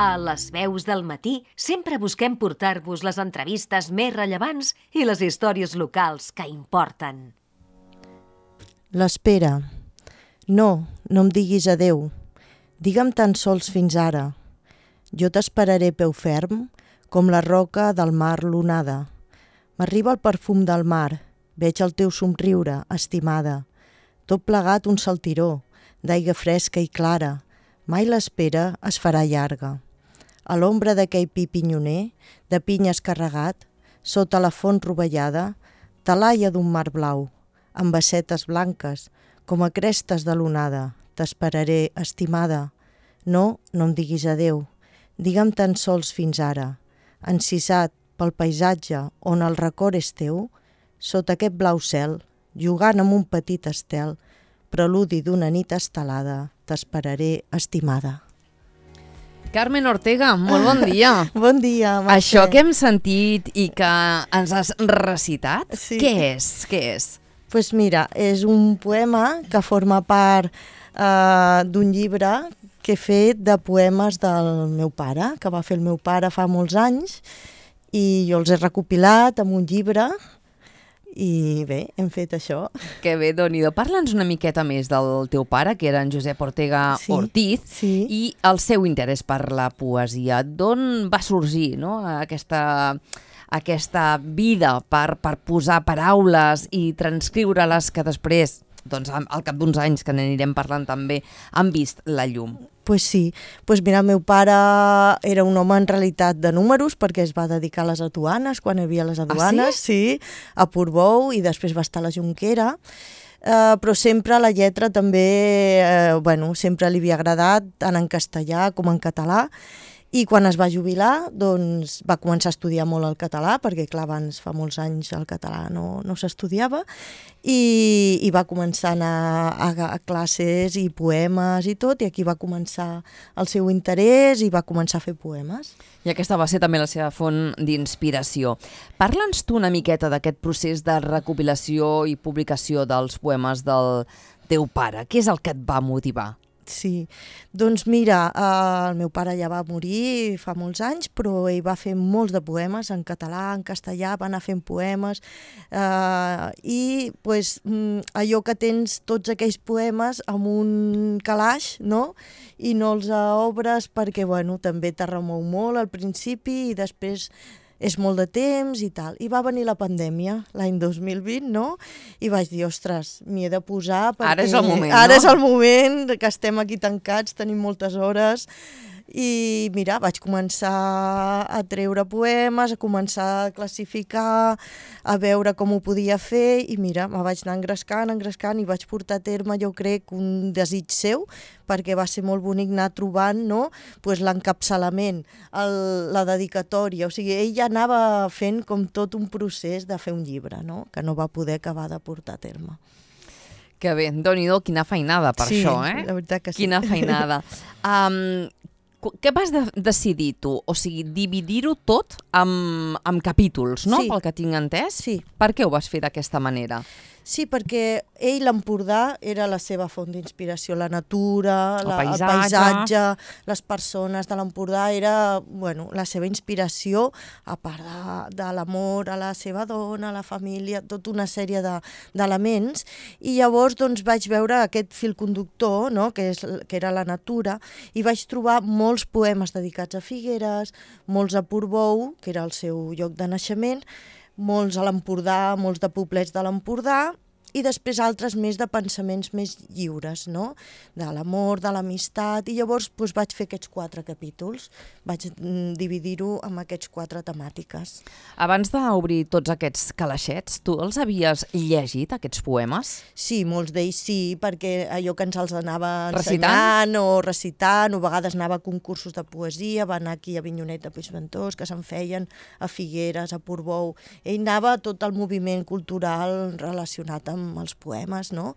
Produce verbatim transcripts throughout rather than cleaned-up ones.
A Les veus del matí sempre busquem portar-vos les entrevistes més rellevants i les històries locals que importen. L'espera. No, no em diguis adeu. Digue'm tan sols fins ara. Jo t'esperaré peu ferm, com la roca del mar lunada. M'arriba el perfum del mar, veig el teu somriure, estimada. Tot plegat un saltiró, d'aigua fresca i clara. Mai l'espera es farà llarga. A l'ombra d'aquell pi pinyoner, de pinyes carregat, sota la font rovellada, talaia d'un mar blau, amb bassetes blanques, com a crestes de l'onada. T'esperaré, estimada. No, no em diguis adeu. Digue'm tan sols fins ara. Encisat pel paisatge on el record és teu, sota aquest blau cel, jugant amb un petit estel, preludi d'una nit estelada, t'esperaré, estimada. Carmen Ortega, molt bon dia. Bon dia, Mercè. Això que hem sentit i que ens has recitat, Sí. què és? Què és? Pues mira, és un poema que forma part eh, d'un llibre que he fet de poemes del meu pare, que va fer el meu pare fa molts anys, i jo els he recopilat en un llibre, i bé, hem fet això. Que bé, Déu-n'hi-do. Parla'ns una miqueta més del teu pare, que era en Josep Ortega Sí, Ortiz, sí. i el seu interès per la poesia. D'on va sorgir, no?, aquesta, aquesta vida per, per posar paraules i transcriure-les que després, doncs, al cap d'uns anys, que n'anirem parlant també, han vist la llum? Pues sí, pues mira, el meu pare era un home en realitat de números perquè es va dedicar a les aduanes, quan hi havia les aduanes, sí? sí, a Portbou, i després va estar a la Jonquera, uh, però sempre la lletra també, uh, bueno, sempre li havia agradat, tant en castellà com en català, i quan es va jubilar, doncs va començar a estudiar molt el català, perquè clar, abans fa molts anys el català no, no s'estudiava, i, i va començar a anar a, a classes i poemes i tot, i aquí va començar el seu interès i va començar a fer poemes. I aquesta va ser també la seva font d'inspiració. Parla'ns tu una miqueta d'aquest procés de recopilació i publicació dels poemes del teu pare. Què és el que et va motivar? Sí, doncs mira, eh, el meu pare ja va morir fa molts anys, però ell va fer molts de poemes en català, en castellà, va anar fent poemes, eh, i pues, allò que tens tots aquells poemes amb un calaix, no?, i no els obres perquè, bueno, també te remou molt al principi i després és molt de temps i tal. I va venir la pandèmia l'any dos mil vint, no? I vaig dir, ostres, m'hi he de posar perquè... Ara és el moment, Ara no? és el moment que estem aquí tancats, tenim moltes hores. I mira, vaig començar a treure poemes, a començar a classificar, a veure com ho podia fer, i mira, me vaig anar engrescant, engrescant, i vaig portar a terme, jo crec, un desig seu, perquè va ser molt bonic anar trobant, no?, pues, l'encapçalament, el, la dedicatòria, o sigui, ell ja anava fent com tot un procés de fer un llibre, no?, que no va poder acabar de portar a terme. Que bé, Déu-n'hi-do, quina feinada per Sí, això, eh? la veritat que sí. Quina feinada. Um, què vas de decidir tu? O sigui, dividir-ho tot amb, amb capítols, no? Sí. Pel que tinc entès? Sí. Per què ho vas fer d'aquesta manera? Sí, perquè ell, l'Empordà, era la seva font d'inspiració, la natura, El la, paisatge. el paisatge, les persones de l'Empordà, era, bueno, la seva inspiració, a part de, de l'amor a la seva dona, a la família, tota una sèrie de, d'elements, i llavors doncs, vaig veure aquest fil conductor, no?, que, és, que era la natura, i vaig trobar molts poemes dedicats a Figueres, molts a Portbou, que era el seu lloc de naixement, molts a l'Empordà, molts de poblets de l'Empordà, i després altres més de pensaments més lliures, no?, de l'amor, de l'amistat, i llavors doncs, vaig fer aquests quatre capítols, vaig mm, dividir-ho amb aquests quatre temàtiques. Abans d'obrir tots aquests calaixets, tu els havies llegit, aquests poemes? Sí, molts d'ells sí, perquè allò que ens els anava Recitant? ensenyant o recitant, o a vegades anava a concursos de poesia, va anar aquí a Avinyonet de Puigventós, que se'n feien a Figueres, a Portbou. Ell anava a tot el moviment cultural relacionat amb amb els poemes, no?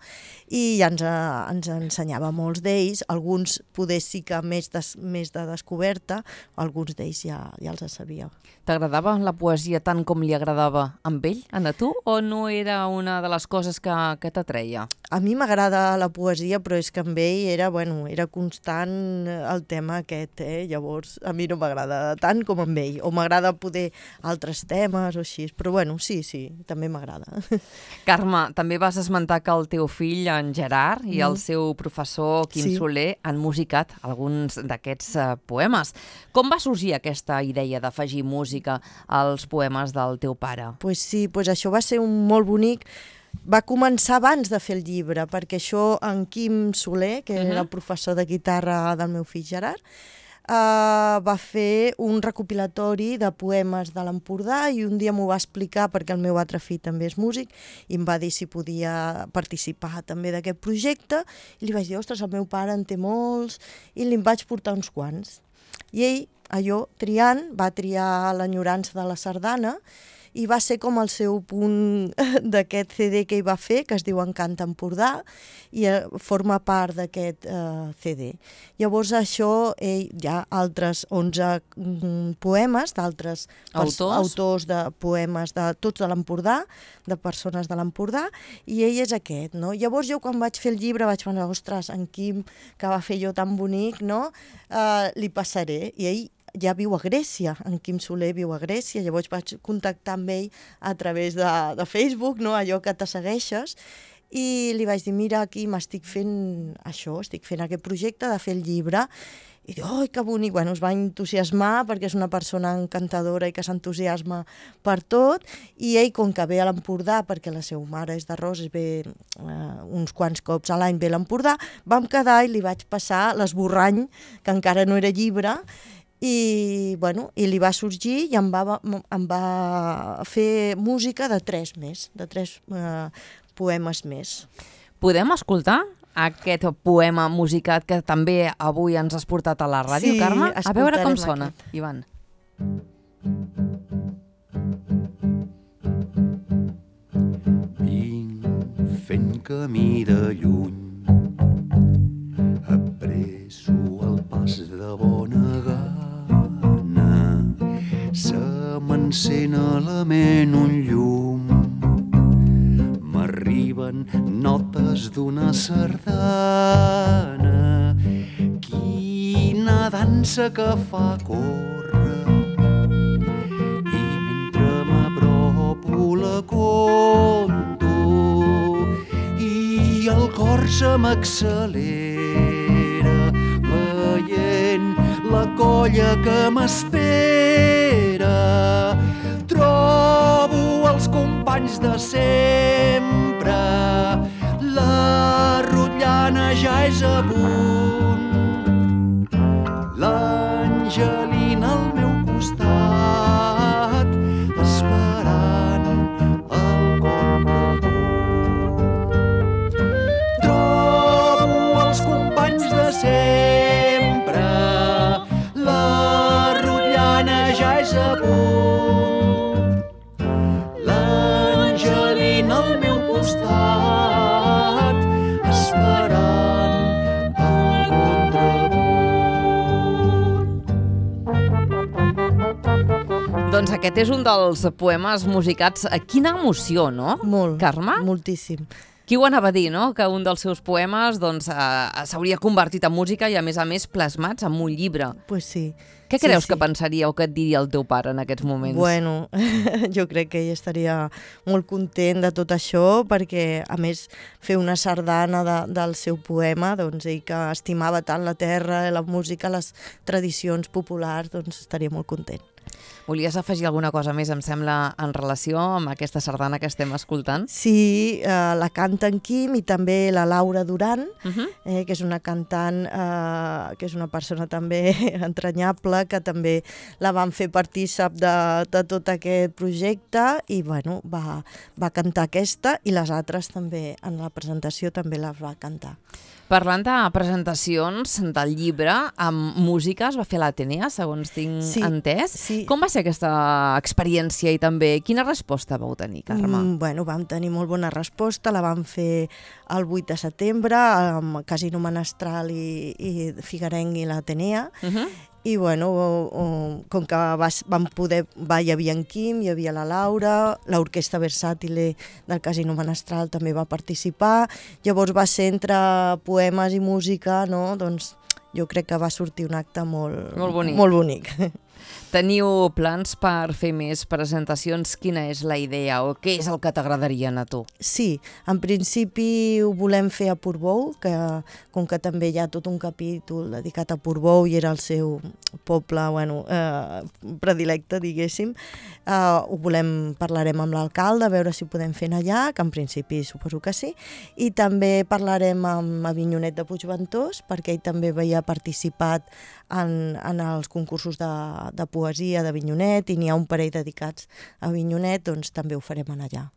I ja ens, uh, ens ensenyava molts d'ells, alguns poder sí que més, des, més de descoberta, alguns d'ells ja, ja els sabia. T'agradava la poesia tant com li agradava amb ell, a tu, o no era una de les coses que, que t'atreia? A mi m'agrada la poesia, però és que amb ell era, bueno, era constant el tema aquest, eh? Llavors a mi no m'agrada tant com amb ell, o m'agrada poder altres temes o així, però bueno, sí, sí, també m'agrada. Carme, també vas esmentar que el teu fill, en Gerard, i el Mm. seu professor Quim Sí. Soler han musicat alguns d'aquests uh, poemes. Com va sorgir aquesta idea d'afegir música als poemes del teu pare? Pues sí, pues això va ser un molt bonic. Va començar abans de fer el llibre, perquè això en Quim Soler, que Uh-huh. era el professor de guitarra del meu fill Gerard, Uh, va fer un recopilatori de poemes de l'Empordà i un dia m'ho va explicar perquè el meu altre fill també és músic i em va dir si podia participar també d'aquest projecte i li vaig dir, ostres, el meu pare en té molts i li en vaig portar uns quants. I ell, allò, triant, va triar l'enyorança de la sardana i va ser com el seu punt d'aquest C D que ell va fer, que es diu Encanta Empordà, i eh, forma part d'aquest eh, C D. Llavors això, ell, hi ha altres onze mm, poemes d'altres pers- Autors? autors de poemes de tots de l'Empordà, de persones de l'Empordà, i ell és aquest, no? Llavors jo quan vaig fer el llibre vaig pensar, ostres, en Quim, que va fer jo tan bonic, no? Uh, li passaré, i ell ja viu a Grècia, en Quim Soler viu a Grècia, llavors vaig contactar amb ell a través de, de Facebook, no? Allò que te segueixes, i li vaig dir, mira, aquí m'estic fent això, estic fent aquest projecte de fer el llibre, i diu, oi, que bonic, bueno, es va entusiasmar perquè és una persona encantadora i que s'entusiasma per tot, i ell, com que ve a l'Empordà, perquè la seva mare és de Roses, ve eh, uns quants cops a l'any ve a l'Empordà, vam quedar i li vaig passar l'esborrany, que encara no era llibre, i, bueno, i li va sorgir i em va, em va fer música de tres més, de tres eh, poemes més. Podem escoltar aquest poema musicat que també avui ens has portat a la ràdio, Sí, Carme? A veure com escoltarem sona, aquest. Ivan. Vinc fent camí de lluny, apresso el pas de bona gana, se m'encén a la ment un llum, m'arriben notes d'una sardana, quina dansa que fa córrer, i mentre m'apropo la conto i el cor se m'accelera veient la colla que m'espera. Trobo els companys de sempre, la rotllana ja és a punt, l'Angelina al meu costat, esperant el contrapunt. Trobo els companys de sempre, la rotllana ja és a punt, l'Angelina al meu costat, esperant el contrapunt. Doncs aquest és un dels poemes musicats. Quina emoció, no? Molt, Carme? moltíssim. Qui ho anava a dir, no? Que un dels seus poemes doncs, eh, s'hauria convertit en música i, a més a més, plasmats en un llibre. Pues sí. Què Sí, creus sí. que pensaria o que et diria el teu pare en aquests moments? Bueno, jo crec que ell estaria molt content de tot això, perquè, a més, fer una sardana de, del seu poema, doncs ell que estimava tant la terra, la música, les tradicions populars, doncs estaria molt content. Volies afegir alguna cosa més, em sembla, en relació amb aquesta sardana que estem escoltant? Sí, eh, la canta en Quim i també la Laura Duran, Uh -huh. eh, que és una cantant, eh, que és una persona també entranyable, que també la van fer partícip de, de tot aquest projecte i bueno, va, va cantar aquesta i les altres també, en la presentació també les va cantar. Parlant de presentacions del llibre, amb música es va fer a l'Atenea, segons tinc Sí, entès. sí. Com va ser aquesta experiència i també quina resposta vau tenir, Carme? Mm, bueno, vam tenir molt bona resposta, la vam fer el vuit de setembre amb Casino Menestral i, i Figuerenc i l'Atenea. Uh -huh. I bueno, com que vas, vam poder, va, hi havia en Quim, hi havia la Laura, l'Orquestra Versàtile del Casino Menestral també va participar, llavors va ser entre poemes i música, no? Doncs jo crec que va sortir un acte molt, molt bonic. Molt bonic. Teniu plans per fer més presentacions? Quina és la idea o què és el que t'agradaria a tu? Sí, en principi ho volem fer a Portbou, que com que també hi ha tot un capítol dedicat a Portbou i era el seu poble bueno, eh, predilecte, diguéssim, eh, ho volem, parlarem amb l'alcalde, a veure si ho podem fer allà, que en principi suposo que sí, i també parlarem amb Avinyonet de Puigventós, perquè ell també havia participat en, en els concursos de, de poesia d'Avinyonet i n'hi ha un parell dedicats a Avinyonet, doncs també ho farem allà.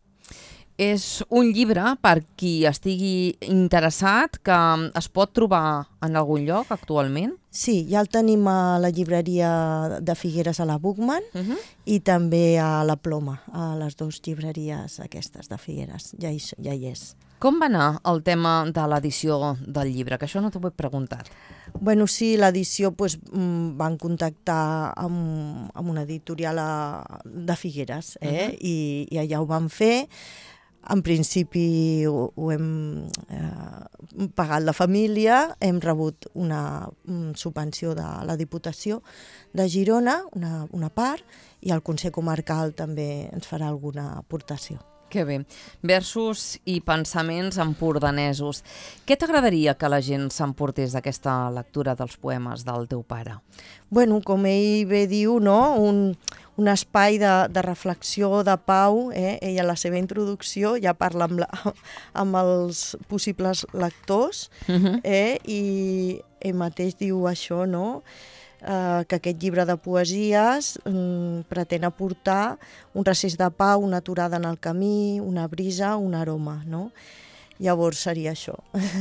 És un llibre, per qui estigui interessat, que es pot trobar en algun lloc actualment? Sí, ja el tenim a la llibreria de Figueres a la Buchmann uh -huh. i també a la Ploma, a les dues llibreries aquestes de Figueres, ja hi, ja hi és. Com va anar el tema de l'edició del llibre? Que això no t'ho he preguntat. Bueno, sí, l'edició pues, van contactar amb, amb una editorial a, de Figueres eh? uh -huh. I, i allà ho van fer. En principi ho, ho hem eh, pagat la família, hem rebut una, una subvenció de la Diputació de Girona, una, una part, i el Consell Comarcal també ens farà alguna aportació. Que bé. Versos i pensaments empordanesos. Què t'agradaria que la gent s'emportés d'aquesta lectura dels poemes del teu pare? Bueno, com ell bé diu, no? un, un espai de, de reflexió, de pau. Eh? Ell a la seva introducció ja parla amb, la, amb els possibles lectors uh-huh. eh? I ell mateix diu això, no? Uh, que aquest llibre de poesies um, pretén aportar un recés de pau, una aturada en el camí, una brisa, un aroma, no? Llavors seria això,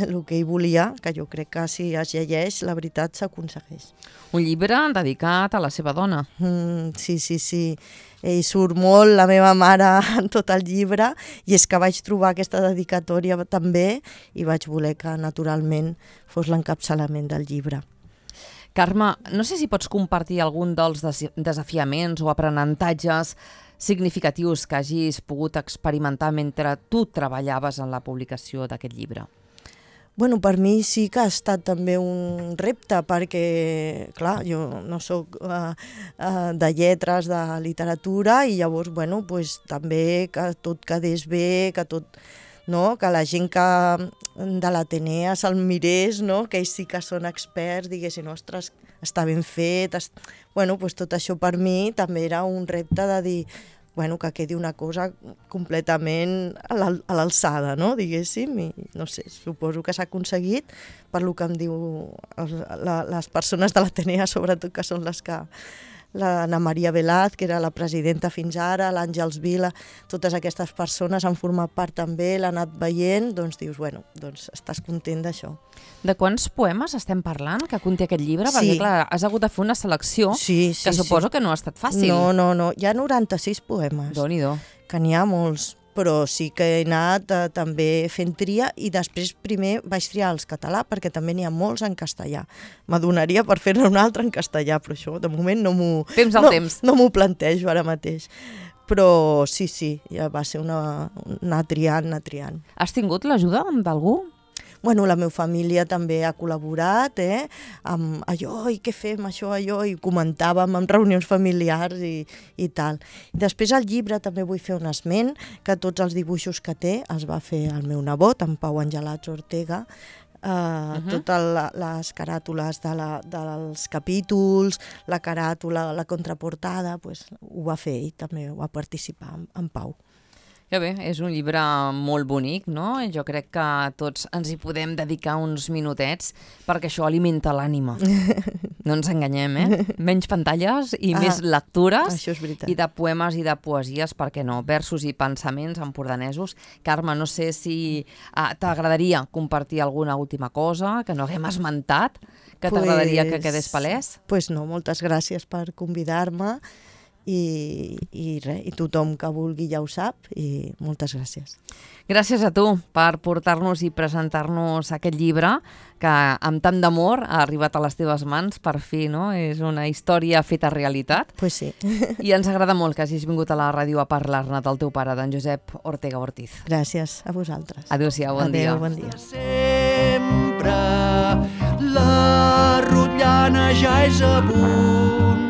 el que ell volia, que jo crec que si es llegeix, la veritat s'aconsegueix. Un llibre dedicat a la seva dona. Mm, sí, sí, sí. Ell surt molt, la meva mare, en tot el llibre, i és que vaig trobar aquesta dedicatòria també i vaig voler que naturalment fos l'encapçalament del llibre. Carme, no sé si pots compartir algun dels desafiaments o aprenentatges significatius que hagis pogut experimentar mentre tu treballaves en la publicació d'aquest llibre. Bueno, per mi sí que ha estat també un repte perquè, clar, jo no sóc uh, uh, de lletres, de literatura i llavors, bueno, pues, també que tot quedés bé, que tot... No? Que la gent que de l'Atenea se'l mirés, no? Que ells sí que són experts, diguessin, ostres, està ben fet. Est... Bueno, pues tot això per mi també era un repte de dir bueno, que quedi una cosa completament a l'alçada, no? Diguéssim, i no sé, suposo que s'ha aconseguit per lo que em diu les persones de l'Atenea, sobretot, que són les que l'Anna Maria Velaz, que era la presidenta fins ara, l'Àngels Vila, totes aquestes persones han format part també, l'han anat veient, doncs dius, bueno, doncs estàs content d'això. De quants poemes estem parlant que conté aquest llibre? Sí. Perquè, clar, has hagut de fer una selecció sí, sí, que suposo sí. que no ha estat fàcil. No, no, no, hi ha noranta-sis poemes. Déu-n'hi-do. Que n'hi ha molts, però sí que he anat eh, també fent tria i després primer vaig triar els català perquè també n'hi ha molts en castellà. M'adonaria per fer-ne un altre en castellà, però això de moment no m'ho temps al no, temps. no m'ho plantejo ara mateix. Però sí, sí, ja va ser una, anar triant, anar triant. Has tingut l'ajuda d'algú? Bueno, la meva família també ha col·laborat, eh? Amb allò, i què fem, això, allò, i comentàvem en reunions familiars i, i tal. I després al llibre també vull fer un esment, que tots els dibuixos que té els va fer el meu nebot, en Pau Angelats Ortega, Uh, uh -huh. Totes la, les caràtules de la, dels capítols, la caràtula, la contraportada, pues, ho va fer ell, també va participar en, en Pau. Que bé, és un llibre molt bonic, no? Jo crec que tots ens hi podem dedicar uns minutets perquè això alimenta l'ànima. No ens enganyem, eh? Menys pantalles i ah, més lectures. Això és veritat. I de poemes i de poesies, per què no? Versos i pensaments empordanesos. Carme, no sé si ah, t'agradaria compartir alguna última cosa que no haguem esmentat, que pues, t'agradaria que quedés palès? Pues no, moltes gràcies per convidar-me i, i res, i tothom que vulgui ja ho sap, i moltes gràcies. Gràcies a tu per portar-nos i presentar-nos aquest llibre que amb tant d'amor ha arribat a les teves mans, per fi, no? És una història feta realitat. Pues sí. I ens agrada molt que hagis vingut a la ràdio a parlar-ne del teu pare, d'en Josep Ortega Ortiz. Gràcies a vosaltres. Adéu-siau, bon dia. Adéu, bon dia. Sempre la rotllana ja és a punt.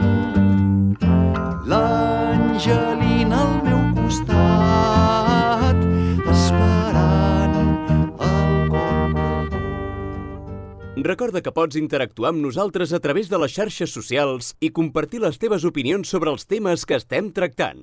L'Angelina al meu costat, esperant el contrapunt. Recorda que pots interactuar amb nosaltres a través de les xarxes socials i compartir les teves opinions sobre els temes que estem tractant.